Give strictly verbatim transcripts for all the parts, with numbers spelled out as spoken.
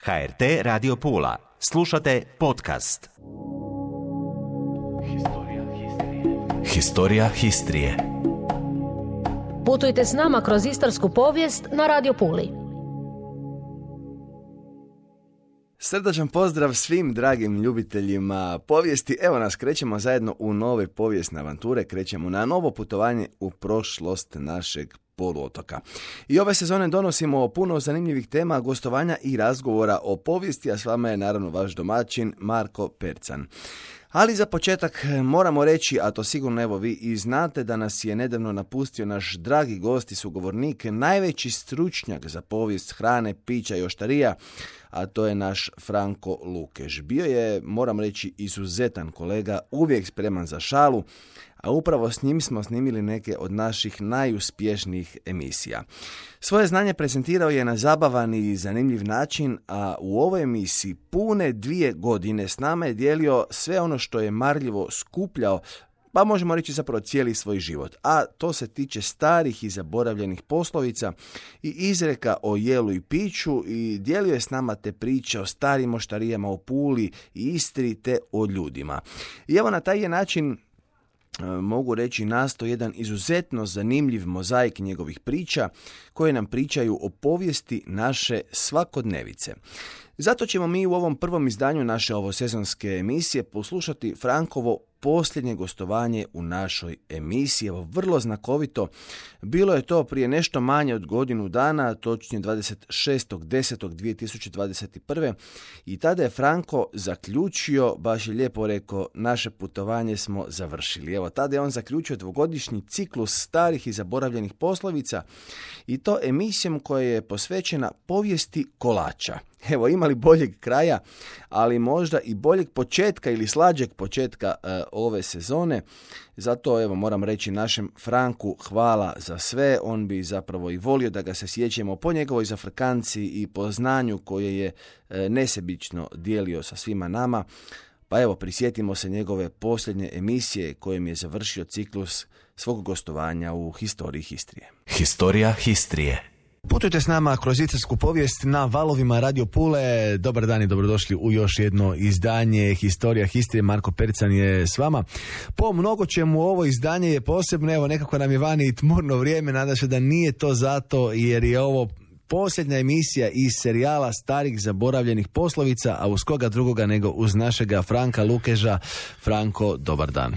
H R T Radio Pula. Slušate podcast. Historija histrije. Putujte s nama kroz istarsku povijest na Radio Puli. Srdačan pozdrav svim dragim ljubiteljima povijesti. Evo nas, krećemo zajedno u nove povijesne avanture, krećemo na novo putovanje u prošlost našeg poluotoka. I ove sezone donosimo puno zanimljivih tema, gostovanja i razgovora o povijesti, a s vama je naravno vaš domaćin Marko Percan. Ali za početak moramo reći, a to sigurno evo vi i znate, da nas je nedavno napustio naš dragi gost i sugovornik, najveći stručnjak za povijest hrane, pića i oštarija, a to je naš Franko Lukež. Bio je, moram reći, izuzetan kolega, uvijek spreman za šalu, a upravo s njim smo snimili neke od naših najuspješnijih emisija. Svoje znanje prezentirao je na zabavan i zanimljiv način, a u ovoj emisiji pune dvije godine s nama je dijelio sve ono što je marljivo skupljao, pa možemo reći zapravo cijeli svoj život. A to se tiče starih i zaboravljenih poslovica i izreka o jelu i piću, i dijelio je s nama te priče o starim oštarijama, o Puli i Istri te o ljudima. I evo na taj je način, mogu reći, nastao jedan izuzetno zanimljiv mozaik njegovih priča koje nam pričaju o povijesti naše svakodnevice. Zato ćemo mi u ovom prvom izdanju naše ovosezonske emisije poslušati Frankovo posljednje gostovanje u našoj emisiji. Evo, vrlo znakovito. Bilo je to prije nešto manje od godinu dana, točnije dvadeset šestog desetog dvije tisuće dvadeset prve. I tada je Franko zaključio, baš je lijepo rekao, naše putovanje smo završili. Evo, tada je on zaključio dvogodišnji ciklus starih i zaboravljenih poslovica, i to emisijom koja je posvećena povijesti kolača. Evo, imali boljeg kraja, ali možda i boljeg početka ili slađeg početka e, ove sezone. Zato, evo, moram reći našem Franku hvala za sve. On bi zapravo i volio da ga se sjećamo po njegovoj zafrkanciji i po znanju koje je e, nesebično dijelio sa svima nama. Pa evo, prisjetimo se njegove posljednje emisije kojim je završio ciklus svog gostovanja u Historiji histrije. Historija histrije. Putujte s nama kroz istarsku povijest na valovima Radio Pule. Dobar dan i dobrodošli u još jedno izdanje Historija histrije. Marko Percan je s vama. Po mnogo čemu ovo izdanje je posebno, evo, nekako nam je vani i tmurno vrijeme, nadam se da nije to zato jer je ovo posljednja emisija iz serijala starih zaboravljenih poslovica, a uz koga drugoga nego uz našega Franka Lukeža. Franko, dobar dan.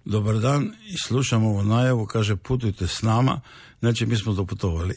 Dobar dan, i slušam ovo najavu, kaže putujte s nama, znači mi smo doputovali.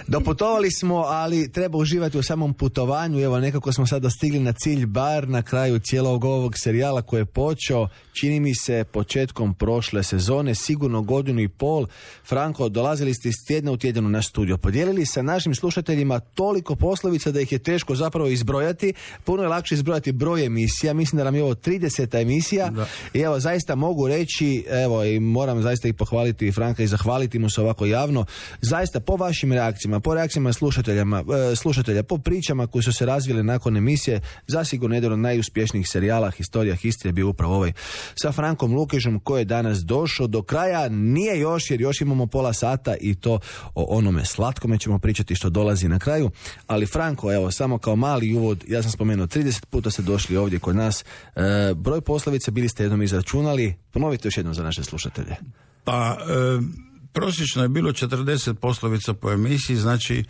Doputovali smo, ali treba uživati u samom putovanju. Evo, nekako smo sada stigli na cilj, bar na kraju cijelog ovog serijala koji je počeo, čini mi se, početkom prošle sezone, sigurno godinu i pol. Franko, dolazili ste iz tjedna u tjedan u naš studio, podijelili sa našim slušateljima toliko poslovica da ih je teško zapravo izbrojati. Puno je lakše izbrojati broj emisija, mislim da nam je ovo trideseta emisija. Da. I evo, zaista mogu reći, evo, i moram zaista i pohvaliti Franka i zahvaliti mu se ovako javno, zaista po vašim reakcijama, po reakcijama slušateljama, e, slušatelja, po pričama koje su se razvile nakon emisije, zasigurno jedan od najuspješnijih serijala Historija histrije bio upravo ovaj sa Frankom Lukežom, koji je danas došao do kraja. Nije još, jer još imamo pola sata i to o onome slatkome ćemo pričati što dolazi na kraju. Ali Franko, evo, samo kao mali uvod, ja sam spomenuo, trideset puta ste došli ovdje kod nas. E, broj poslovica bili ste jednom izračunali. Ponovite još jednom za naše slušatelje. Pa, e, prosječno je bilo četrdeset poslovica po emisiji, znači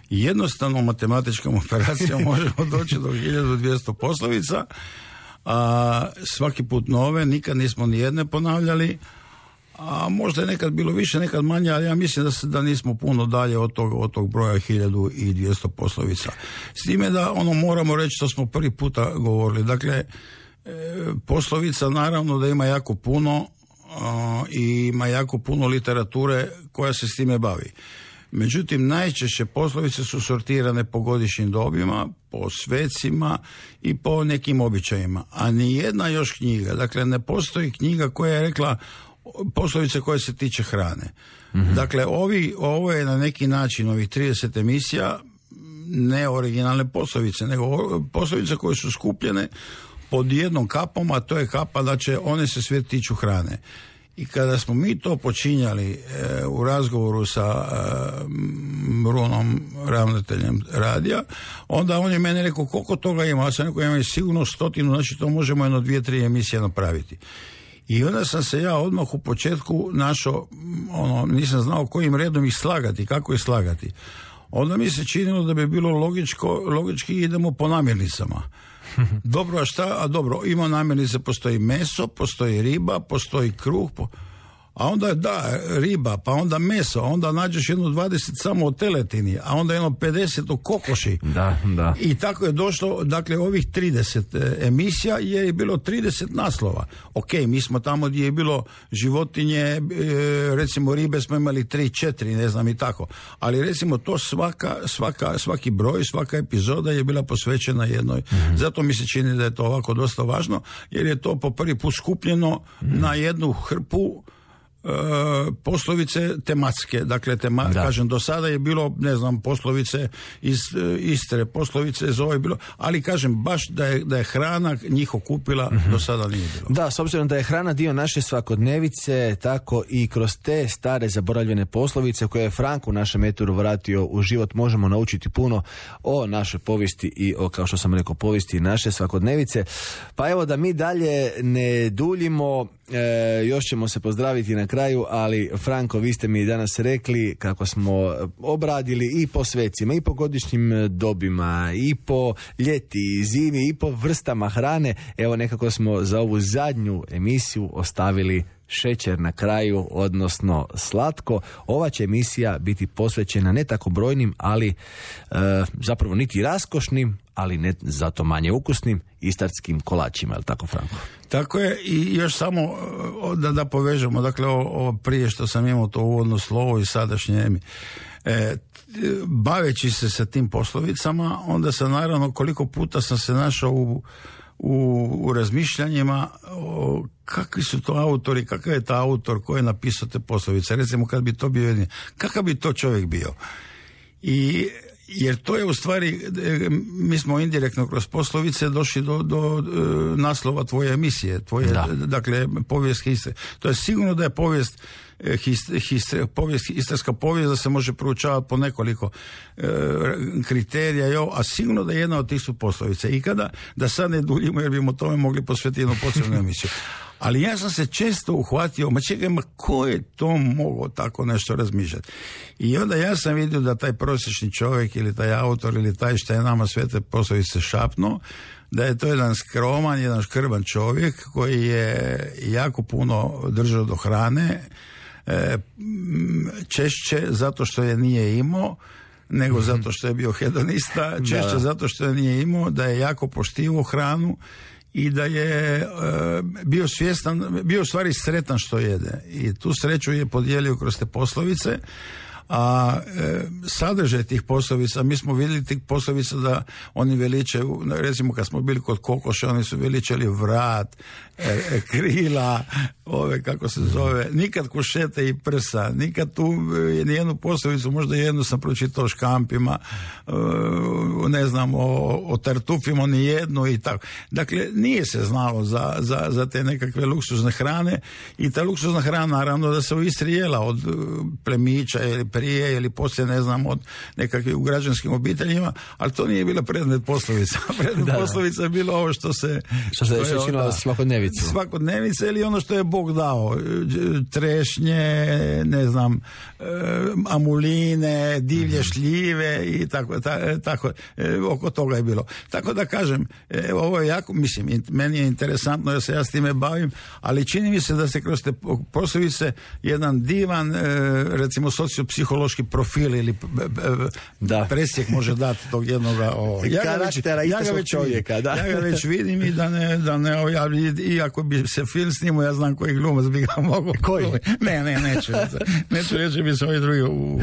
jednostavnom matematičkom operacijom možemo doći do hiljadu dvjesto poslovica, a svaki put nove, nikad nismo ni jedne ponavljali, a možda je nekad bilo više, nekad manje, ali ja mislim da, se, da nismo puno dalje od tog, od tog broja hiljadu dvjesto poslovica. S time da ono moramo reći što smo prvi puta govorili. Dakle, e, poslovica naravno da ima jako puno, Uh, i ima jako puno literature koja se s time bavi. Međutim, najčešće poslovice su sortirane po godišnjim dobima, po svecima i po nekim običajima. A ni jedna još knjiga, dakle ne postoji knjiga koja je rekla poslovice koje se tiče hrane. Mm-hmm. Dakle, ovi, ovo je na neki način, ovih trideset emisija, ne originalne poslovice, nego poslovice koje su skupljene pod jednom kapom, a to je kapa da će one se sve tiču hrane. I kada smo mi to počinjali e, u razgovoru sa e, Brunom, ravnateljem radija, onda on je meni rekao koliko toga ima, ja sam rekao ima sigurno stotinu, znači to možemo jedno dvije, tri emisije napraviti. I onda sam se ja odmah u početku našao, ono, nisam znao kojim redom ih slagati, kako ih slagati. Onda mi se činilo da bi bilo logičko, logički idemo po namirnicama. Dobro, a šta? A dobro, ima namirnice, postoji meso, postoji riba, postoji kruh, po... a onda da, riba, pa onda meso, a onda nađeš jedno dvadeset samo o teletini, a onda jedno pedeset o kokoši. Da, da. I tako je došlo, dakle, ovih trideset e, emisija je bilo trideset naslova. Ok, mi smo tamo gdje je bilo životinje, e, recimo ribe smo imali tri, četiri, ne znam i tako. Ali recimo to svaka, svaka, svaki broj, svaka epizoda je bila posvećena jednoj. Mm. Zato mi se čini da je to ovako dosta važno, jer je to po prvi put skupljeno mm. na jednu hrpu Uh, poslovice tematske, dakle tema, kažem, do sada je bilo, ne znam, poslovice iz uh, Istre, poslovice iz ovo je bilo, ali kažem, baš da je, da je hrana njih okupila, mm-hmm. do sada nije bilo. Da, s obzirom da je hrana dio naše svakodnevice, tako i kroz te stare zaboravljene poslovice koje je Franko u našem eturu vratio u život, možemo naučiti puno o našoj povijesti i o, kao što sam rekao, povijesti naše svakodnevice. Pa evo da mi dalje ne duljimo, e, još ćemo se pozdraviti na kraju, ali Franko, vi ste mi danas rekli kako smo obradili i po svecima, i po godišnjim dobima, i po ljeti, i zimi, i po vrstama hrane. Evo nekako smo za ovu zadnju emisiju ostavili šećer na kraju, odnosno slatko. Ova će emisija biti posvećena ne tako brojnim, ali e, zapravo niti raskošnim, ali ne zato manje ukusnim istarskim kolačima, je li tako, Franko? Tako je, i još samo da, da povežemo, dakle ovo, ovo prije što sam imao to uvodno slovo i sadašnje emi. E, baveći se sa tim poslovicama, onda sam naravno koliko puta sam se našao u U, u razmišljanjima o kakvi su to autori, kakav je ta autor koji je napisao te poslovice. Recimo kad bi to bio jedin, kakav bi to čovjek bio. I jer to je u stvari, mi smo indirektno kroz poslovice došli do, do, do naslova tvoje emisije, tvoje, da. Dakle, povijest Istre. To je sigurno da je povijest Hist, hist, povijest, istarska povijest da se može proučavati po nekoliko e, kriterija, jo, a sigurno da je jedna od tih su poslovice. I kada, da sad ne duljimo jer bimo tome mogli posvetiti jednu posebnu emisiju. Ali ja sam se često uhvatio, ma čekaj, ma ko je to mogao tako nešto razmišljati? I onda ja sam vidio da taj prosječni čovjek ili taj autor ili taj što je nama sve te poslovice šapnuo, da je to jedan skroman, jedan škrban čovjek koji je jako puno držao do hrane, e, češće zato što je nije imao, nego zato što je bio hedonista, češće da. Zato što je nije imao, da je jako poštivao hranu i da je e, bio svjestan, bio u stvari sretan što jede. I tu sreću je podijelio kroz te poslovice. A e, sadržaj tih poslovica, mi smo vidjeli tih poslovica da oni veličaju, recimo kad smo bili kod kokoša, oni su veličali vrat, e, e, krila, ove kako se zove, nikad kušete i prsa, nikad tu e, nijednu poslovicu, možda jednu sam pročitao o škampima, e, ne znam, o, o tartufima, nijednu i tako. Dakle, nije se znalo za, za, za te nekakve luksuzne hrane i ta luksuzna hrana, naravno da se u Istri jela od plemića ili prije ili poslije, ne znam, od nekakvih u građanskim obiteljima, ali to nije bila predmet poslovica. Predmet da, poslovica je bilo ovo što se... Što se što je činilo svakodnevicu. Svakodnevica ili ono što je Bog dao. Trešnje, ne znam, amuline, divlje šljive i tako, ta, tako oko toga je bilo. Tako da kažem, ovo je jako, mislim, meni je interesantno jer se ja s time bavim, ali čini mi se da se kroz te poslovice jedan divan, recimo, sociopsihološki profil ili da. presjek može dati tog jednoga o, ja ga već, ja ga već čovjeka, da. Ja ga već vidim i da ne, da ne ja, i ako bi se film snimao, ja znam koji glumac bi ga mogao. Koji? Ne, ne, neću. Neću reći bi se ovi drugi u, u,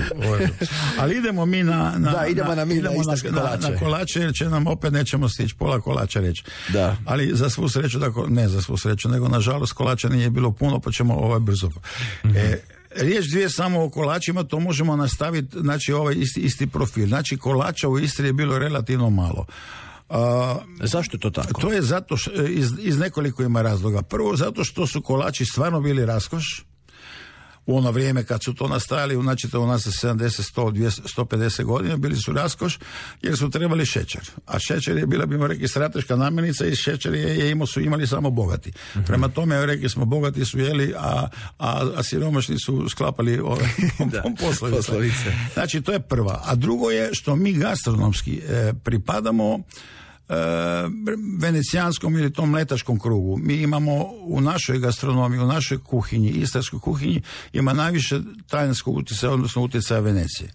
ali idemo mi na, na, da, idemo na, na, mi na, na, kolače. na kolače, jer će nam opet nećemo stići pola kolača reći. Da. Ali za svu sreću, tako, ne za svu sreću, nego nažalost kolača nije bilo puno, pa ćemo ovaj brzo. Mm-hmm. E, riječ dvije samo o kolačima, to možemo nastaviti, znači ovaj isti, isti profil. Znači kolača u Istri je bilo relativno malo. Uh, Zašto je to tako? To je zato što, iz, iz nekoliko ima razloga. Prvo, zato što su kolači stvarno bili raskoš. u ono vrijeme kad su to nastajali, znači to u nas za sedamdeset, sto, dvjesto, sto pedeset godina bili su raskoš jer su trebali šećer. A šećer je bila, bimo rekli, strateška namirnica i šećer je, je imao, su imali samo bogati. Uh-huh. Prema tome, rekli smo, bogati su jeli, a, a, a siromašni su sklapali ove poslovice. poslovice. Znači, to je prva. A drugo je što mi gastronomski e, pripadamo e, venecijanskom ili tom mletačkom krugu. Mi imamo u našoj gastronomiji, u našoj kuhinji, istarskoj kuhinji, ima najviše talijanskog utjecaja, odnosno utjecaja Venecije.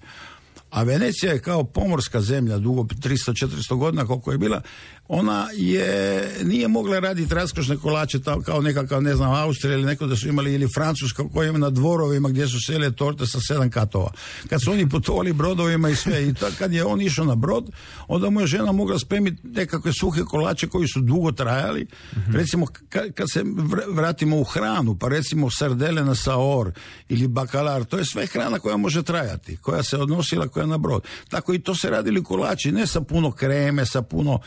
A Venecija je kao pomorska zemlja dugo tristo četiristo godina koliko je bila, ona je, nije mogla raditi raskošne kolače kao nekakav, ne znam, Austrija ili neko da su imali, ili Francuska koja ima na dvorovima gdje su sele torte sa sedam katova. Kad su oni putovali brodovima i sve, i ta, kad je on išao na brod, onda mu je žena mogla spremiti nekakve suhe kolače koji su dugo trajali. Mm-hmm. Recimo, kad, kad se vratimo u hranu, pa recimo sardele na saor ili bakalar, to je sve hrana koja može trajati, koja se odnosila koja na brod. Tako i to se radili kolači, ne sa puno kreme, sa puno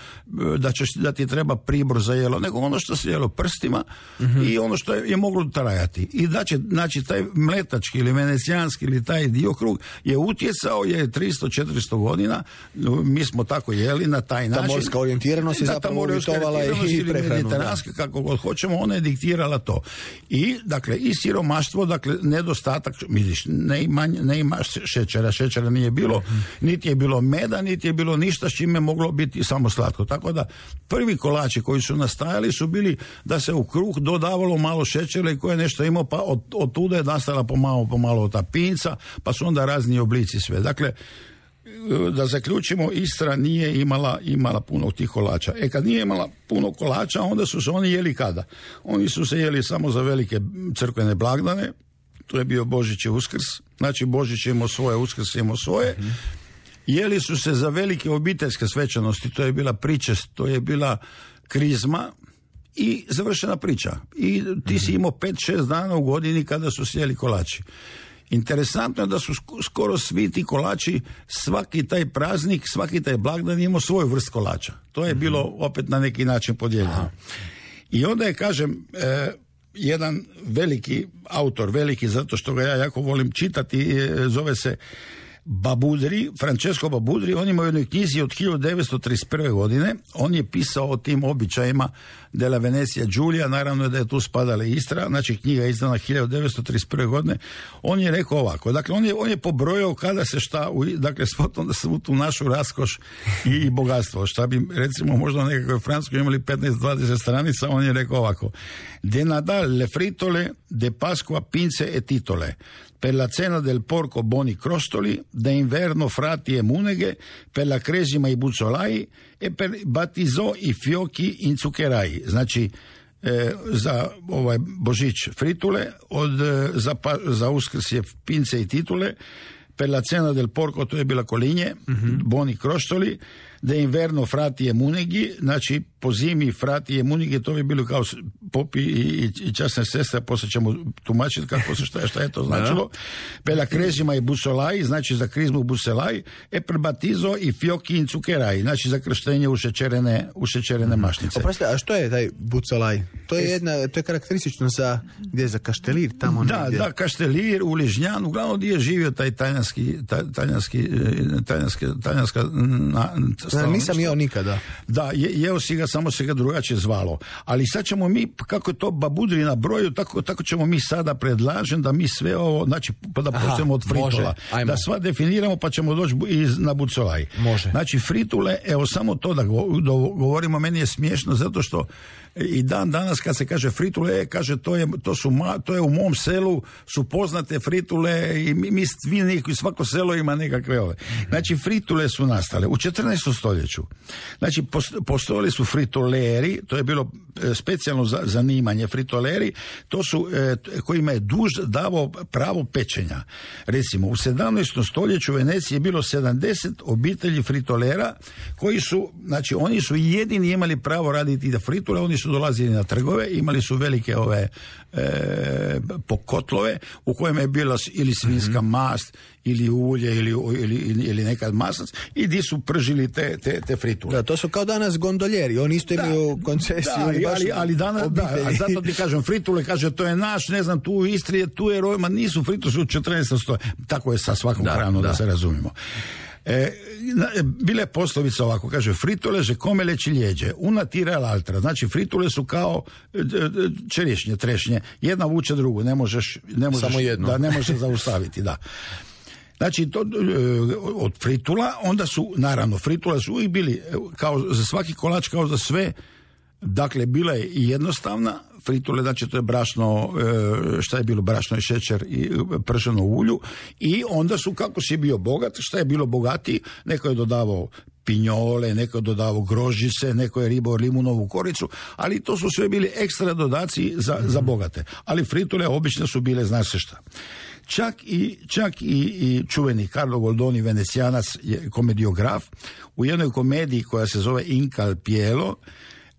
da, ćeš, da ti treba pribor za jelo, nego ono što se jelo prstima mm-hmm. i ono što je, je moglo trajati. I da će, znači, taj mletački ili venecijanski ili taj diokrug je utjecao je tristo četiristo godina, mi smo tako jeli na taj način. Ta morska orijentiranost je zapravo uvjetovala i prehranu. Kako god hoćemo, ona je diktirala to. I, dakle, i siromaštvo, dakle, nedostatak, misliš, ne ima, ne ima šećera, šećera nije bilo, mm-hmm. niti je bilo meda, niti je bilo ništa s čime moglo biti samo slatko. Tako da prvi kolači koji su nastajali su bili da se u kruh dodavalo malo šećera i koje nešto imao, pa od, od tuda je nastala pomalo, pomalo ta pinca, pa su onda razni oblici sve. Dakle, da zaključimo, Istra nije imala, imala puno tih kolača. E kad nije imala puno kolača, onda su se oni jeli kada? Oni su se jeli samo za velike crkvene blagdane, to je bio Božić i Uskrs, znači Božić je imao svoje, Uskrs je imao svoje, mm-hmm. Jeli su se za velike obiteljske svečanosti, to je bila pričest, to je bila krizma i završena priča. I ti si imao pet šest dana u godini kada su sjeli kolači. Interesantno je da su skoro svi ti kolači, svaki taj praznik, svaki taj blagdan imao svoju vrst kolača. To je bilo opet na neki način podijeljeno. I onda je, kažem, eh, jedan veliki autor, veliki zato što ga ja jako volim čitati, eh, zove se Babudri, Francesco Babudri, on ima u jednoj knjizi od hiljadu devetsto trideset prve godine, on je pisao o tim običajima della Venecija Giulia, naravno je da je tu spadala Istra, znači knjiga je izdana hiljadu devetsto trideset prve godine, on je rekao ovako, dakle on je, on je pobrojao kada se šta, u, dakle svu tu našu raskoš i, i bogatstvo, šta bi recimo možda u nekakvoj Francuskoj imali petnaest dvadeset stranica, on je rekao ovako: de Nadal le fritole, de Pasqua pinze e titole, per la cena del porco boni crostoli, da inverno frati e muneghe, per la cresima i buzzolai e per batizo i fiochi in zuccherai. Znači, e, za ovaj Božić fritule, od, za, za Uskrs je pince i titule, per la cena del porco, to je bila kolinje, mm-hmm. boni crostoli, da inverno frati e muneghi, znači po zimi frati e muneghi, to bi bilo kao popi i, i časne sestre, poslije ćemo tumačiti kako se šta, šta je to značilo. Pela krezima i busolaj, znači za krizmu buselaj, e per batizo i fioki in cukeraj, znači za krštenje u šećerene, u šećerene mm. mašnice. Oprosti, a što je taj busolaj? To je jedna, to je karakteristično za, gdje je za Kaštelir, tamo da, negdje. Da, Kaštelir, u Ližnjan, uglavnom gdje je živio taj talijanski, talijanski, talijanski, talijanska na, Da, nisam jeo nikada. Da, je, jeo si ga, samo se ga drugačije zvalo. Ali sad ćemo mi, kako je to Babudri na broju, tako, tako ćemo mi sada predlažem da mi sve ovo, znači da počnemo od fritola. Da sva definiramo pa ćemo doći iz, na bucolaj. Može. Znači fritule, evo samo to da govorimo, meni je smiješno zato što i dan danas kad se kaže fritule, kaže to je, to su, to je u mom selu su poznate fritule i mi, mi svi, svako selo ima nekakve ove. Znači fritule su nastale u četrnaestom stoljeću. Znači postojali su fritoleri, to je bilo specijalno zanimanje, fritoleri, to su e, kojima je duž davao pravo pečenja. Recimo u sedamnaestom stoljeću u Veneciji je bilo sedamdeset obitelji fritolera koji su, znači oni su jedini imali pravo raditi da fritule, oni su dolazili na trgove, imali su velike ove e, pokotlove u kojima je bila ili svinjska mast ili ulje ili, ili, ili nekad maslac i di su pržili te, te, te fritule. Da, to su kao danas gondoljeri, oni isto imaju da, koncesiju. Da, ali, ali, ali danas, da, a zato ti kažem, fritule, kaže, to je naš, ne znam, tu u Istri, tu je rojma, nisu fritule, su u četrnaestom stoljeću. Tako je sa svakom da, hranom, da. da se razumimo. E, bile poslovica ovako, kaže, fritule že kome leći ljeđe, una tira l'altra, znači fritule su kao čerišnje, trešnje, jedna vuče drugu, ne možeš, ne možeš, samo jedno. Da, ne možeš zaustaviti, da. Znači, to, od fritula, onda su, naravno, fritule su uvijek bili, kao za svaki kolač, kao za sve, dakle, bila je i jednostavna, fritule, znači to je brašno, šta je bilo, brašno i šećer i prženo u ulju, i onda su, kako si bio bogat, šta je bilo bogatiji, neko je dodavao pinjole, neko je dodavao grožice, neko je ribao limunovu koricu, ali to su sve bili ekstra dodaci za, mm-hmm. za bogate. Ali fritule obično su bile, znaš se šta. Čak i, čak i, i čuveni Carlo Goldoni, Venecijanac, je komediograf, u jednoj komediji koja se zove Inca al Pielo,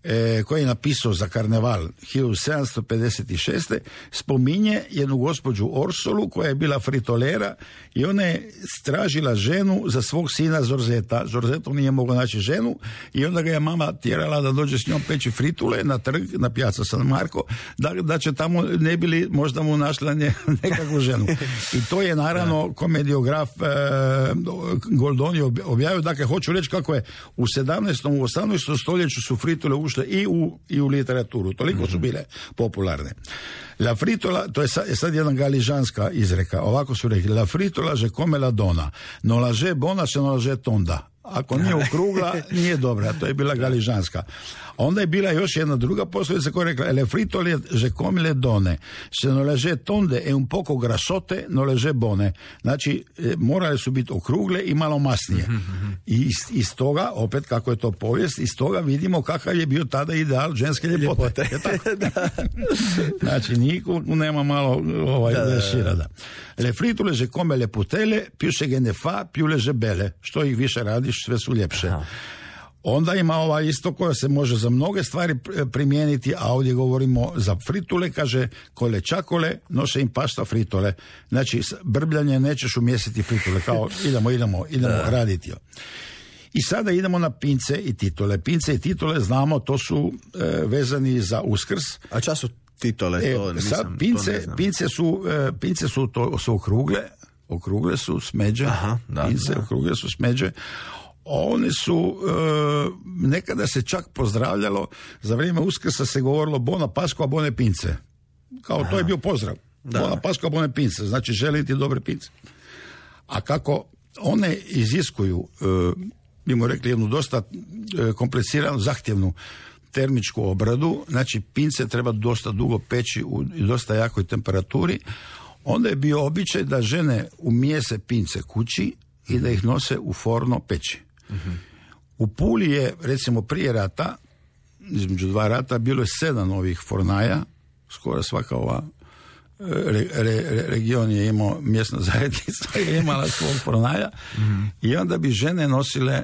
E, koji je napisao za Karneval hiljadu sedamsto pedeset šeste. spominje jednu gospođu Orsolu koja je bila fritolera i ona je tražila ženu za svog sina Zorzeta. Zorzeto nije mogao naći ženu i onda ga je mama tjerala da dođe s njom peći fritule na trg, na Piazza San Marco, da, da će tamo ne bili možda mu našla nje, nekakvu ženu. I to je naravno komediograf e, Goldoni objavio. Dakle, hoću reći kako je u sedamnaestom. u osamnaestom stoljeću su fritule ušle i u, i u literaturu. Toliko su bile popularne. La fritola, to je sad, je sad jedna galižanska izreka. Ovako su rekli: la fritola že come la dona, no la že bona se no la že tonda. Ako nije okrugla, nije dobra. To je bila galižanska. A onda je bila još jedna druga poslovica koja je rekla: le fritole že come le done, se no le že tonde e un poco grasote, no le že bone. Znači, morale su biti okrugle i malo masnije. I iz, iz toga, opet kako je to povijest, iz toga vidimo kakav je bio tada ideal ženske ljepote. ljepote. Znači, niko nema malo ovaj, da, da, šira, da. Le fritole že come le putele, più se ge ne fa, più le že bele. Što ih više radiš, sve su ljepše. Aha. Onda ima ova isto koja se može za mnoge stvari primijeniti, a ovdje govorimo za fritule, kaže: kole čakole, nose im pasta fritole. Znači, brbljanje nećeš umjestiti fritule, kao idemo, idemo, idemo raditi. I sada idemo na pince i titule. Pince i titule, znamo, to su e, vezani za Uskrs. A čas su titule? To e, nisam, sad, pince, to ne znam. pince su, e, pince su, to, su okrugle, okrugle su smeđe, Aha, da, pince da. okrugle su smeđe. Oni su, e, nekada se čak pozdravljalo, za vrijeme Uskrsa se govorilo bona Paskva, bone pince. Kao Aha. to je bio pozdrav. Da. Bona Paskva, bone pince, znači želiti dobre pince. A kako one iziskuju, e, bimo rekli, jednu dosta e, kompliciranu, zahtjevnu termičku obradu, znači pince treba dosta dugo peći u dosta jakoj temperaturi, onda je bio običaj da žene umijese pince kući i da ih nose u forno peći. Mm-hmm. U Puli je, recimo, prije rata, između dva rata, bilo je sedam ovih fornaja, skoro svaka ova re, re, region je imao, mjesna zajednica je imala svog fornaja, mm-hmm. i onda bi žene nosile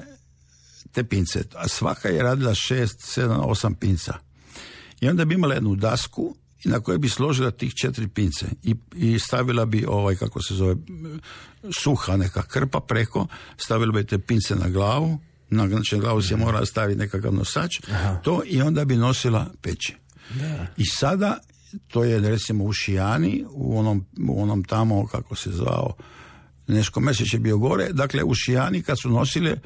te pince, a svaka je radila šest, sedam, osam pinca. I onda bi imala jednu dasku na kojoj bi složila tih četiri pince i, i stavila bi ovaj, kako se zove, suha neka krpa preko, stavila bi te pince na glavu, na, znači na glavu se mora staviti nekakav nosač, Aha. to, i onda bi nosila peći. Da. I sada, to je recimo u Šijani, u onom, u onom tamo, kako se zvao, Neško Mesić je bio gore, dakle u Šijani kad su nosile,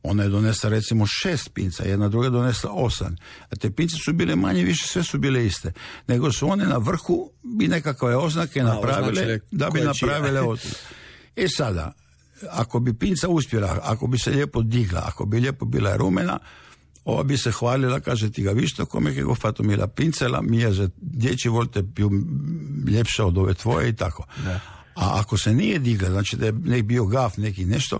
ona je donesla recimo šest pinca, jedna druga je donesla osam, a te pince su bile manje više, sve su bile iste, nego su one na vrhu bi nekakve oznake a, napravile, da bi napravile otvor. E sada, ako bi pinca uspjela, ako bi se lijepo digla, ako bi lijepo bila rumena, ova bi se hvalila, kaže: ti ga višto, kome che go fatto mi la pincela, mija že dječji volte più ljepša od ove tvoje i tako. Da. A ako se nije digla, znači da je nek bio gaf neki nešto,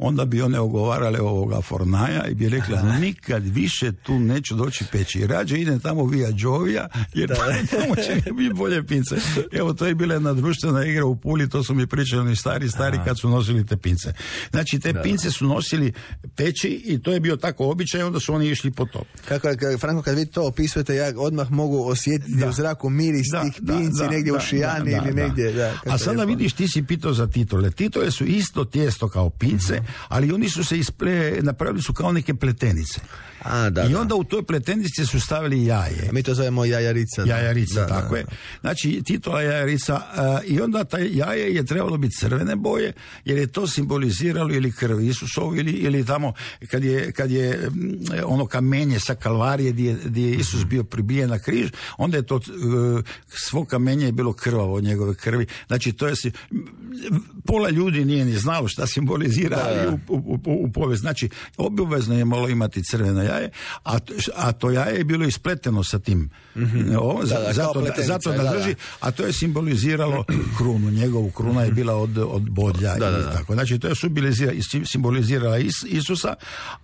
onda bi one ogovarale ovoga Fornaja i bi rekla, aha, nikad više tu neću doći peći. Rađe idem tamo via Đovija, jer da, tamo će biti bolje pince. Evo, to je bila jedna društvena igra u Puli, to su mi pričali oni stari, stari kad su nosili te pince. Znači, te da, pince su nosili peći i to je bio tako običaj, onda su oni išli po to. Kako, Franko, kad vi to opisujete, ja odmah mogu osjetiti da, u zraku miris da, tih pinci da, negdje da, u Šijani da, da, ili negdje. Da, a sada vidiš, ti si pitao za titule. Titule su isto tijesto kao pince, mm-hmm, ali oni su se isple, napravili su kao neke pletenice. A, da, I onda da, u toj pletenici su stavili jaje. A mi to zovemo jajarica. Da. Jajarica, da, da, tako da, je. Znači, titula jajarica. Uh, I onda taj jaje je trebalo biti crvene boje, jer je to simboliziralo ili krv Isusovu, ili, ili tamo kad je, kad je ono kamenje sa Kalvarije gdje, gdje je Isus bio pribijen na križ, onda je to uh, svo kamenje je bilo krvavo od njegove krvi. Znači, to je si, pola ljudi nije ni znalo šta simbolizira da, da. U, u, u, u povijest. Znači, obavezno je malo imati crveno jaje, a, a to jaje je bilo ispleteno sa tim. Mm-hmm. O, za, da, da, zato, da, zato da drži, da, da. A to je simboliziralo krunu. Njegovu kruna je bila od, od bodlja. Da, da, da. Tako. Znači, to je simbolizirala Is, Isusa,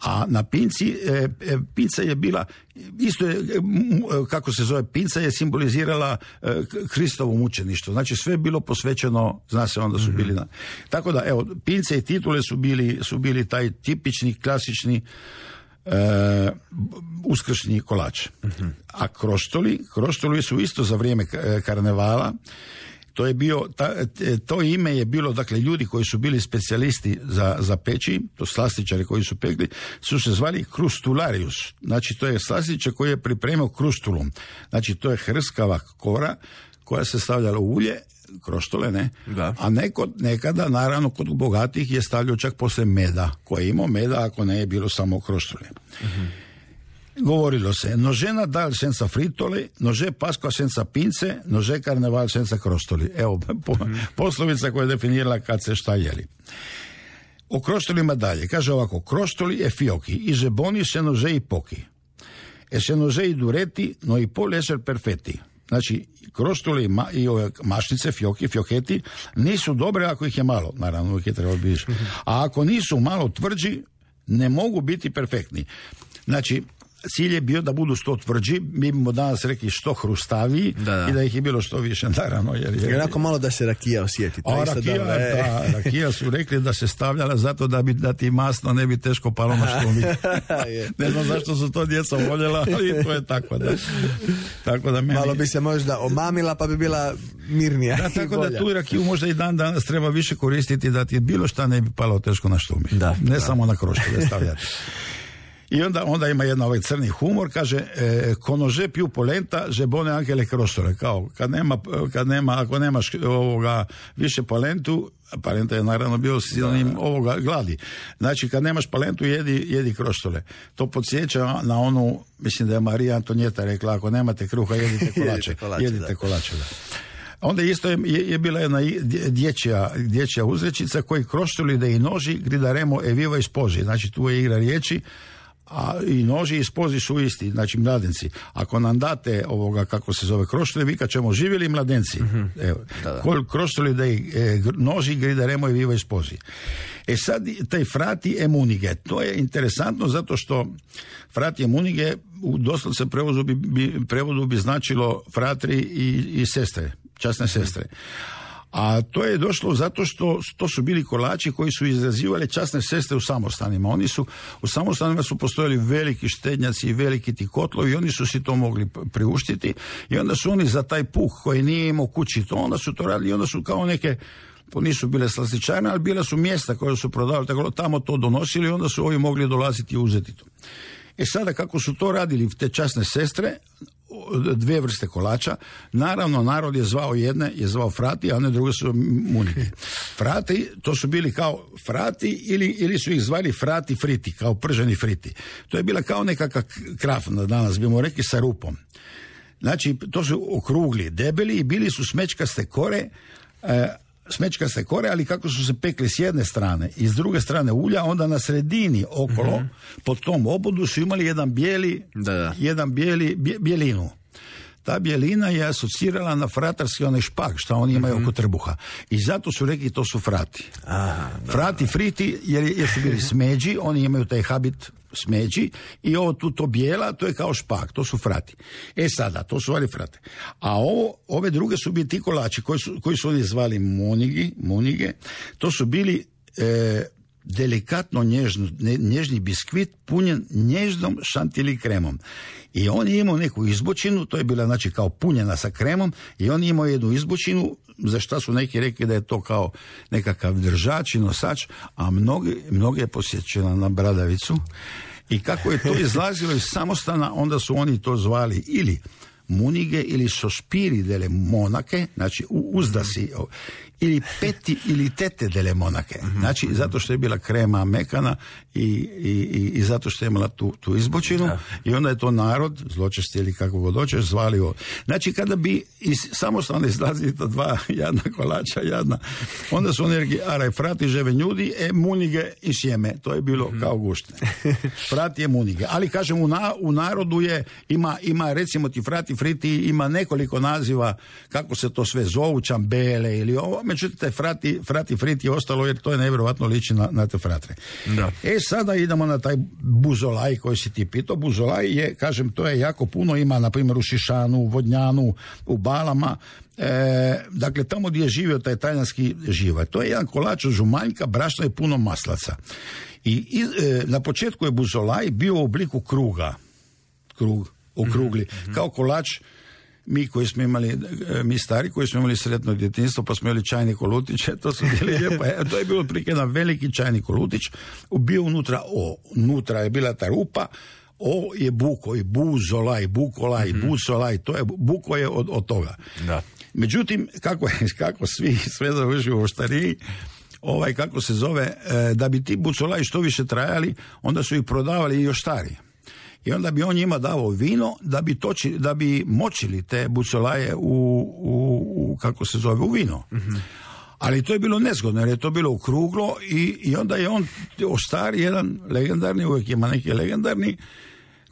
a na pinci, e, e, pinca je bila, isto je, kako se zove, pinca je simbolizirala e, Kristovo mučeništvo. Znači, sve je bilo posvećeno, zna se, onda su bili na... Tako da, evo, pince i titule su bili, su bili taj tipični, klasični Uh, uskršnji kolač. Uh-huh. A kroštoli, kroštoli su isto za vrijeme karnevala. To je bio, ta, to ime je bilo, dakle, ljudi koji su bili specijalisti za, za peći, to slastičari koji su pekli, su se zvali krustularius. Znači, to je slastičar koji je pripremio krustulum. Znači, to je hrskava kora koja se stavljala u ulje, kroštole, ne? Da. A neko, nekada, naravno, kod bogatih je stavljao čak poslije meda, koji je imao meda, ako ne je bilo samo kroštole. Uh-huh. Govorilo se, nože Nadal senza fritole, nože Pasqua senza pince, nože Karneval senza krostoli. Evo, po, uh-huh. poslovica koja je definirala kad se šta jeli. O kroštolima dalje. Kaže ovako, kroštoli e fiochi, i žeboni se nože i pochi. E se nože i dureti, no i pol eser perfetti. Znači, kroštoli ma, i ove mašnice, fioki, fioketi, nisu dobre ako ih je malo. Naravno, uvijek je trebalo biti. A ako nisu malo tvrđi, ne mogu biti perfektni. Znači, cilj je bio da budu što tvrđi, mi bimo danas rekli što hrustaviji, da, da. I da ih je bilo što više, naravno. Jer, jer... Jednako malo da se rakija osjeti. A rakija, da, da, rakija su rekli da se stavljala zato da, bi, da ti masno ne bi teško palo na štumi. Ne znam zašto su to djeca voljela, ali to je tako. Da. Tako da meni... Malo bi se možda omamila pa bi bila mirnija. Da, tako da tu rakiju možda i dan danas treba više koristiti da ti bilo šta ne bi palo teško na štumi. Da, ne da. Samo na kroštove stavljati. I onda, onda ima jedan ovaj crni humor, kaže, e, konože piju polenta, žebone anche le crostole. Kao, kad nema, kad nema, ako nemaš ovoga više palentu, palenta je naravno bio sinonim ovoga gladi. Znači, kad nemaš palentu, jedi, jedi kroštole. To podsjeća na onu, mislim da je Marija Antonijeta rekla, ako nemate kruha, jedite kolače. kolače jedite da. kolače, da. Onda isto je, je bila jedna dječja, dječja uzrečica koji kroštoli da i noži gridaremo e viva i spoži. Znači, tu je igra riječi, a i noži i spozi su isti, znači mladenci. Ako nam date ovoga, kako se zove, kroštoli, vikat ćemo živjeli mladenci. Mm-hmm. Evo, da, da. Kol kroštoli da i e, noži gridaremo i viva i spozi. E sad, taj frati e munige, to je interesantno zato što frati e munige u doslovce prevodu bi, bi, prevodu bi značilo fratri i, i sestre, časne sestre. A to je došlo zato što to su bili kolači koji su izrazivali časne sestre u samostanima. Oni su, u samostanima su postojali veliki štednjaci i veliki ti kotlovi i oni su si to mogli priuštiti i onda su oni za taj puh koji nije imao kući to, onda su to radili i onda su kao neke, to nisu bile slastičarne, ali bila su mjesta koje su prodavali, tako tamo to donosili i onda su ovi mogli dolaziti i uzeti to. E sada kako su to radili te časne sestre, dvije vrste kolača, naravno narod je zvao jedne, je zvao frati, a ne druge su munike. Frati, to su bili kao frati ili, ili su ih zvali frati friti, kao prženi friti. To je bila kao nekakav kraf, danas bimo rekli, sa rupom. Znači, to su okrugli, debeli i bili su smečkaste kore, e, smečkaste kore, ali kako su se pekli s jedne strane i s druge strane ulja, onda na sredini okolo, mm-hmm. pod tom obodu su imali jedan bijeli, da, da. jedan bijeli, bje, bijelinu. ta bjelina je asocirala na fratarski onaj špak, što oni imaju mm-hmm. oko trbuha. I zato su rekli to su frati. Aha, da, frati, friti, jer, jer su bili smeđi, oni imaju taj habit smeđi i ovo tu to bijela, to je kao špak, to su frati. E sada, to su ali frate. A ovo, ove druge su bili ti kolači koji su, koji su oni zvali monigi, monige, to su bili e, delikatno nježno, nježni biskvit punjen nježnom šantilji kremom. I on je imao neku izbočinu, to je bila znači kao punjena sa kremom, i on je imao jednu izbočinu, za šta su neki rekli da je to kao nekakav držač i nosač, a mnogi, mnogi je posjećena na bradavicu. I kako je to izlazilo iz samostana, onda su oni to zvali ili munige ili sospiri delle monake, znači uzdasi, ili peti ili tete delle monake. Znači, zato što je bila krema mekana i, i, i zato što je imala tu, tu izbočinu, da. I onda je to narod, zločesti ili kako god hoćeš, zvali ovo. Znači, kada bi iz samostana izlazili to dva jadna kolača, jadna, onda su oni rekli, araj, frati ževe ljudi, e munige i sjeme. To je bilo kao guštne. Frati je munige. Ali, kažem, u, na, u narodu je, ima, ima, recimo ti frati, friti, ima nekoliko naziva kako se to sve zovu, čambele ili ovo. Međutim, taj frati, frati, friti je ostalo jer to je nevjerovatno liči na, na te fratre. Da. E, sada idemo na taj buzolaj koji si ti pitao. Buzolaj je, kažem, to je jako puno, ima na primjer u Šišanu, u Vodnjanu, u Balama. E, dakle, tamo gdje je živio taj talijanski živalj. To je jedan kolač od žumanjka, brašna i puno maslaca. I, i e, na početku je buzolaj bio u obliku kruga. Krug, okrugli. Mm-hmm. Kao kolač. Mi koji smo imali, mi stari koji smo imali sretno djetinjstvo, pa smo imali čajni kolutić, to su bili lijepo. To je bilo otprilike jedan veliki čajni kolutić, bio unutra o, unutra je bila ta rupa, o je buko i buzolaj, bukolaj, mm-hmm. bucolaj, to je, buko je od, od toga. Da. Međutim, kako je, kako svi sve završi u oštariji, ovaj, kako se zove, da bi ti bucolaj što više trajali, onda su ih prodavali i još stariji. I onda bi on njima davao vino da bi, toči, da bi močili te bucolaje u, u, u kako se zove, u vino. Mm-hmm. Ali to je bilo nezgodno, jer je to bilo okruglo i, i onda je on ostari jedan legendarni, uvijek ima neki legendarni,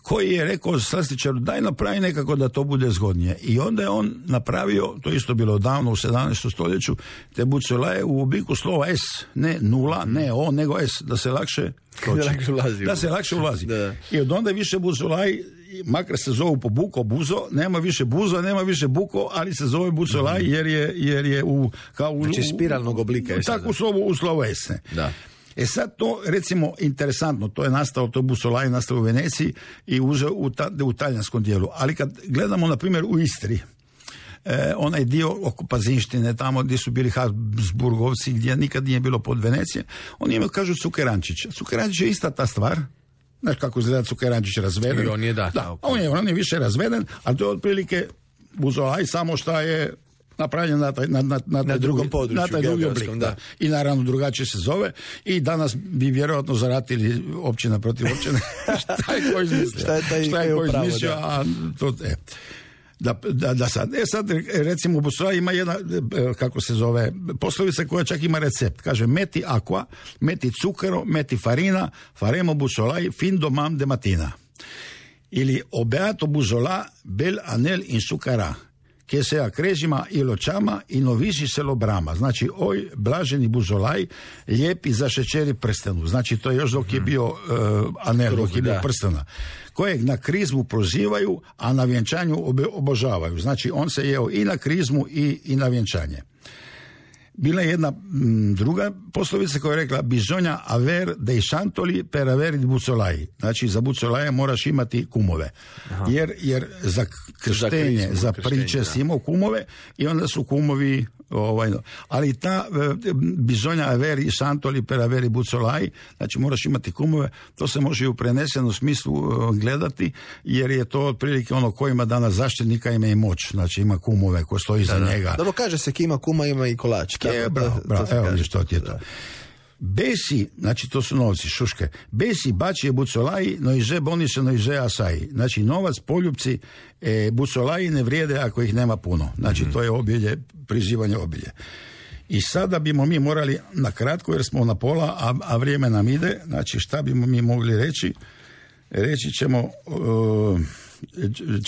koji je rekao slastičaru, daj napravi nekako da to bude zgodnije. I onda je on napravio, to isto bilo davno u sedamnaestom stoljeću, te bucolaje u obliku slova S, ne nula, ne O, nego S, da se lakše toči. Da se lakše ulazi. Da. I od onda više bucolaj, makar se zovu po buko, buzo, nema više buzo, nema više buko, ali se zove bucolaj jer je, jer je u... Kao u, znači spiralnog oblika je tako u slovu, u slovu S. Da. E sad to, recimo, interesantno, to je nastalo, to bucolaj nastalo u Veneciji i u, u, ta, u talijanskom dijelu. Ali kad gledamo, na primjer, u Istri, e, onaj dio oko Pazinštine, tamo gdje su bili Habsburgovci, gdje nikad nije bilo pod Venecije, oni imaju, kažu, cukerančić. Cukerančić je ista ta stvar. Znaš kako izgleda cukerančić razveden? I on je da. Da, on je, on je više razveden, ali to je otprilike bucolaj, samo šta je napravljen na, taj, na, na, na, na drugom području, na taj drugi oblik, da. Da. I naravno drugačije se zove i danas bi vjerojatno zaratili općina protiv općine. Šta je ko izmislio? Šta je, taj šta je ko izmislio? A to, e. Da, da, da sad. E sad, recimo, u bucolaj ima jedna, kako se zove, poslovica koja čak ima recept. Kaže, meti aqua, meti zucchero, meti farina, faremo bucolaj fin domam de matina. Ili obeato buzola bel anel in sucara. Che se akrežima i ločama i novisi se lobrama. Znači, oj, blaženi buzolaj, lijepi zašećeri prstenu. Znači, to je još dok je bio uh, anel, dok je bio prstena. Kojeg na krizmu prozivaju, a na vjenčanju obe, obožavaju. Znači, on se jeo i na krizmu i, i na vjenčanje. Bila je jedna m, druga poslovica koja je rekla bisogna aver dei santoli per avere bucolai. Znači, za bucolaje moraš imati kumove. Jer, jer za krštenje, za, za priče si imao kumove i onda su kumovi... Ovaj, ali ta bisogna averi santoli per averi bucolai, znači moraš imati kumove, to se može i u prenesenom smislu gledati, jer je to otprilike ono ko ima danas zaštitnika, ima i moć, znači ima kumove ko stoji da, za da. njega. Dobro, kaže se ki ima kuma, ima i kolač. Ke, bravo, bravo, evo mi što ti je to. Da. Besi, znači to su novci, šuške, besi bačije bucolaji, no iže boniše, no iže asaji. Znači novac, poljupci, e, bucolaji ne vrijede ako ih nema puno. Znači mm-hmm. to je obilje, prizivanje obilje. I sada bimo mi morali na kratko, jer smo na pola, a, a vrijeme nam ide, znači šta bimo mi mogli reći? Reći ćemo, uh,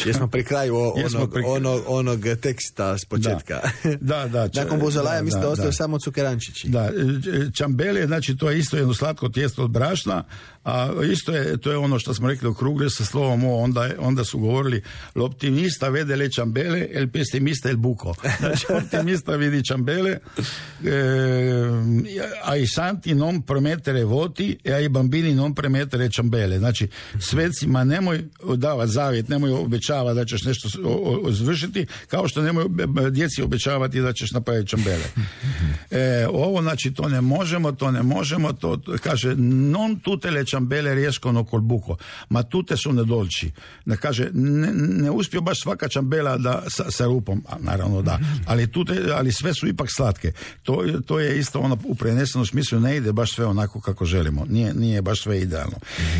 Jesmo pri kraju o, onog, pri... onog, onog teksta s početka. Da, da. da Nakon buzolaja mislim da, da ostaju da. samo cukerančići. Da, čambele, znači to je isto jedno slatko tijesto od brašna, a isto je, to je ono što smo rekli okrugle sa slovom o, onda, onda su govorili l'optimista vede le ciambele, el pessimista el buco. Znači optimista vidi ciambele, e, ai santi non promettere voti e ai bambini non promettere ciambele. Znači svecima nemoj davati zavjet, nemoj obećavati da ćeš nešto izvršiti, kao što nemoj djeci obećavati da ćeš napraviti ciambele. E, ovo znači to ne možemo, to ne možemo, to, to kaže non tutte le ciambele riescono col buco, ma tutte sono dolci. Da kaže ne, ne uspio baš svaka ciambela da sa, sa rupom, a naravno da, ali tute, ali sve su ipak slatke. To, to je isto ono u prenesenom smislu, ne ide baš sve onako kako želimo. Nije, nije baš sve idealno.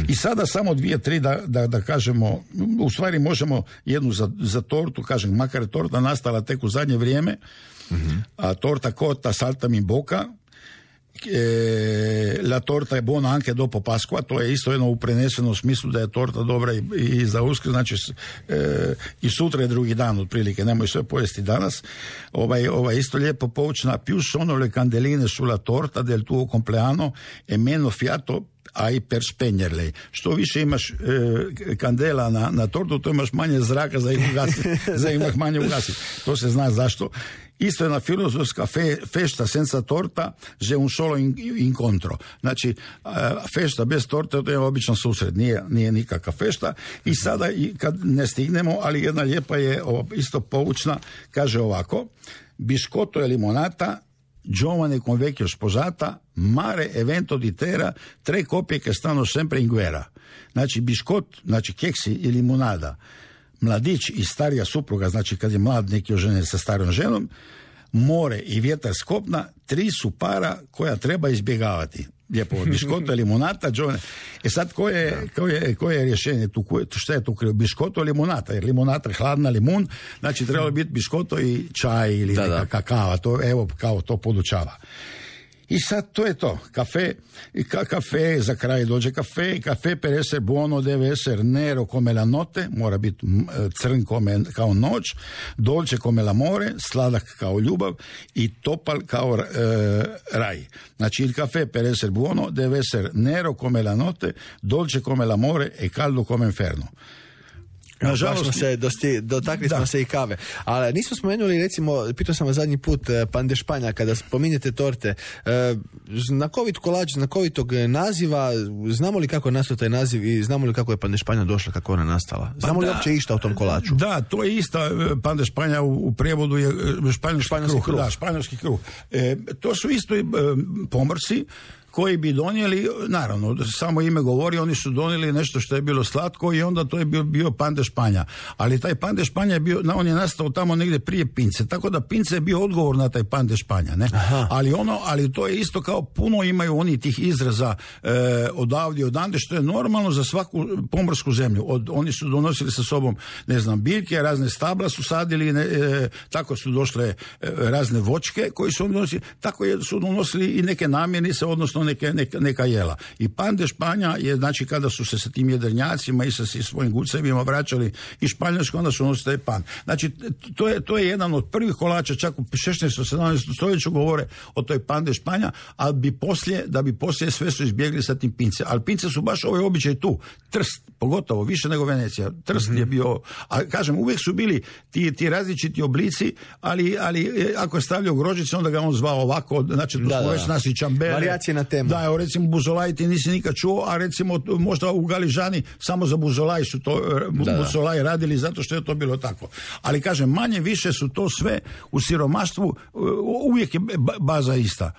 I sada samo dvije, tri da, da, da kažemo, u stvari možemo jednu za, za tortu, kažem, makar je torta nastala tek u zadnje vrijeme, mm-hmm. a torta cotta saltami in bocca, E, la torta je buona anche dopo Pasqua, to je isto jedno u prenesenom smislu da je torta dobra i, i za Uskrs, znači e, i sutra je drugi dan otprilike, nemoj sve pojesti danas. Ovaj, ovaj isto lijepo poučna, più sono le candeline sulla torta del tuo compleanno e meno fiato ai per spegnerle. Što više imaš e, kandela na, na tortu, to imaš manje zraka za ih ugasiti, za ih manje ugasiti. To se zna zašto. Isto je na filozofska fe, fešta senza torta, že un solo in, incontro. Znači, fešta bez torte, to je običan susret, nije, nije nikakva fešta. I sada, i kad ne stignemo, ali jedna lijepa je isto poučna, kaže ovako, biscotto e limonata, giovane con vecchio sposata, mare evento di terra, tre coppie che stanno sempre in guerra. Znači, biškot, znači keksi i limonada, mladić i starija supruga, znači kad je mlad neki oženjen sa starom ženom, more i vjetar s kopna, tri su para koja treba izbjegavati. Lijepo, biškoto, limonata, džone. E sad, koje je, koje, koje je rješenje tu? Koje, šta je tu krivo? Biškoto, limonata, jer limonata je hladna, limun, znači trebalo biti biškoto i čaj ili da, neka da. kakava, to, evo, kao to podučava. I sad to je to, kafe, ka, kafe, za kraj dođe kafe, kafe per essere buono deve essere nero come la notte, mora biti crn come, kao noć, dolce come l'amore, sladak kao ljubav i topal kao e, raj. Znači il caffè per essere buono deve essere nero come la notte, dolce come l'amore e caldo come inferno. Nažalost, smo se dosti, dotakli da. smo se i kave. Ali nismo spomenuli, recimo, pitao sam vas zadnji put, pan de Španja, kada spominjete torte, znakovit kolač, znakovitog naziva, znamo li kako je nastao taj naziv i znamo li kako je pan de Španja došla, kako ona nastala? Znamo pa li uopće išta o tom kolaču? Da, to je ista, pan de Španja u, u prijevodu je španjolski, španjolski kruh. kruh. Da, španjolski kruh. E, to su isto e, pomorci koji bi donijeli, naravno, samo ime govori, oni su donijeli nešto što je bilo slatko i onda to je bio, bio pan de Španja. Ali taj pan de Španja je bio, on je nastao tamo negdje prije pince, tako da pince je bio odgovor na taj pan de Španja, ne? Ali ono, ali to je isto kao puno imaju oni tih izraza e, odavdje, odande, što je normalno za svaku pomorsku zemlju. Od, oni su donosili sa sobom, ne znam, biljke, razne stabla su sadili, ne, e, tako su došle e, razne voćke koji su oni donosili, tako je, su donosili i neke namirnice, odnosno Neke, neka, neka jela. I pan de Španja je, znači, kada su se sa tim jedrenjacima i sa si svojim gucevima vraćali iz Španjolske, onda su nosili taj pan. Znači, to je, to je jedan od prvih kolača, čak u šesnaestom sedamnaestom stoljeću govore o toj pan de Španja, ali bi poslije, da bi poslije sve su izbjegli sa tim pince. Ali pince su baš ovaj običaj tu. Trst, pogotovo, više nego Venecija. Trst mm-hmm. je bio, a kažem, uvijek su bili ti, ti različiti oblici, ali, ali ako je stavljao grožice, onda ga on zvao ovako, znači, tu smo već nasi čambele. Varijacije na temu. Da, evo, recimo buzolaj ti nisi nikad čuo, a recimo možda u Galižani samo za buzolaj su to da, buzolaj da. radili zato što je to bilo tako. Ali kažem, manje više su to sve u siromaštvu, uvijek je baza ista.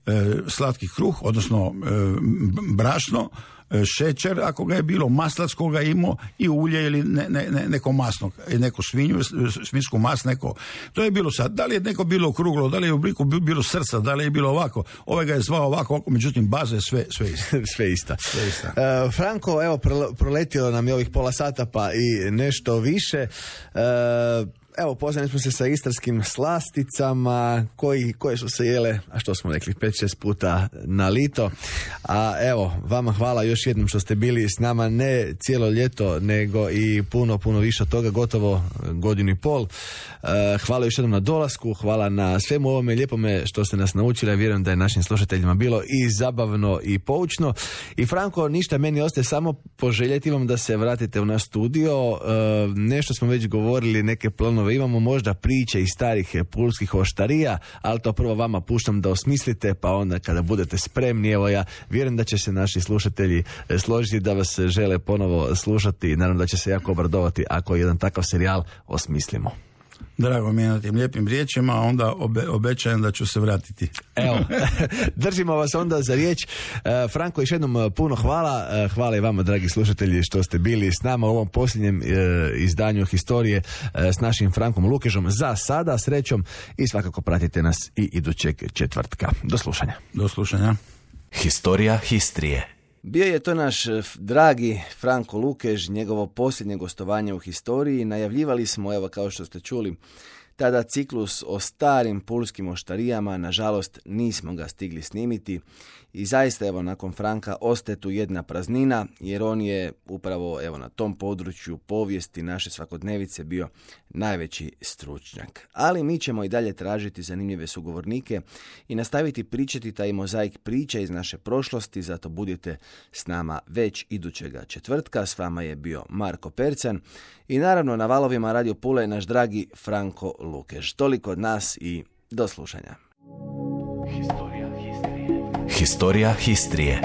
E, slatki kruh, odnosno e, brašno, šećer, ako ga je bilo, maslac koga je imao i ulje ili ne, ne, ne, neko masno, neko svinju, svinjsku mas, neko. To je bilo sad. Da li je neko bilo okruglo, da li je u obliku bilo srca, da li je bilo ovako, ovaj ga je zvao ovako, ovako, međutim baza je sve, sve ista. sve ista. Sve ista. Uh, Franko, evo, proletilo nam je ovih pola sata pa i nešto više. Uh, Evo, poznali smo se sa istarskim slasticama koji, koje su se jele, a što smo rekli, pet šest puta na lito. A evo, vama hvala još jednom što ste bili s nama ne cijelo ljeto, nego i puno, puno više od toga, gotovo godinu i pol. Hvala još jednom na dolasku, hvala na svemu ovome lijepome što ste nas naučili. Ja vjerujem da je našim slušateljima bilo i zabavno i poučno. I Franko, ništa meni ostaje samo poželjeti vam da se vratite u naš studio. Nešto smo već govorili, neke planove imamo, možda priče iz starih pulskih oštarija, ali to prvo vama puštam da osmislite, pa onda kada budete spremni, evo ja vjerujem da će se naši slušatelji složiti da vas žele ponovo slušati i naravno da će se jako obradovati ako jedan takav serijal osmislimo. Drago mi je na tim lijepim riječima, a onda obe, obećajem da ću se vratiti. Evo, držimo vas onda za riječ. Franko, još jednom puno hvala. Hvala i vama, dragi slušatelji, što ste bili s nama u ovom posljednjem izdanju Historije s našim Frankom Lukežom. Za sada, srećom, i svakako pratite nas i idućeg četvrtka. Do slušanja. Do slušanja. Historija Histrije. Bio je to naš dragi Franko Lukež, njegovo posljednje gostovanje u Historiji. Najavljivali smo, evo kao što ste čuli, tada ciklus o starim pulskim oštarijama. Nažalost, nismo ga stigli snimiti i zaista, evo, nakon Franka ostaje tu jedna praznina, jer on je upravo, evo, na tom području povijesti naše svakodnevice bio najveći stručnjak. Ali mi ćemo i dalje tražiti zanimljive sugovornike i nastaviti pričati taj mozaik priča iz naše prošlosti, zato budite s nama već idućega četvrtka. S vama je bio Marko Percan i naravno na valovima Radio Pule naš dragi Franko Lukež. Toliko od nas i do slušanja. Historija Histrije.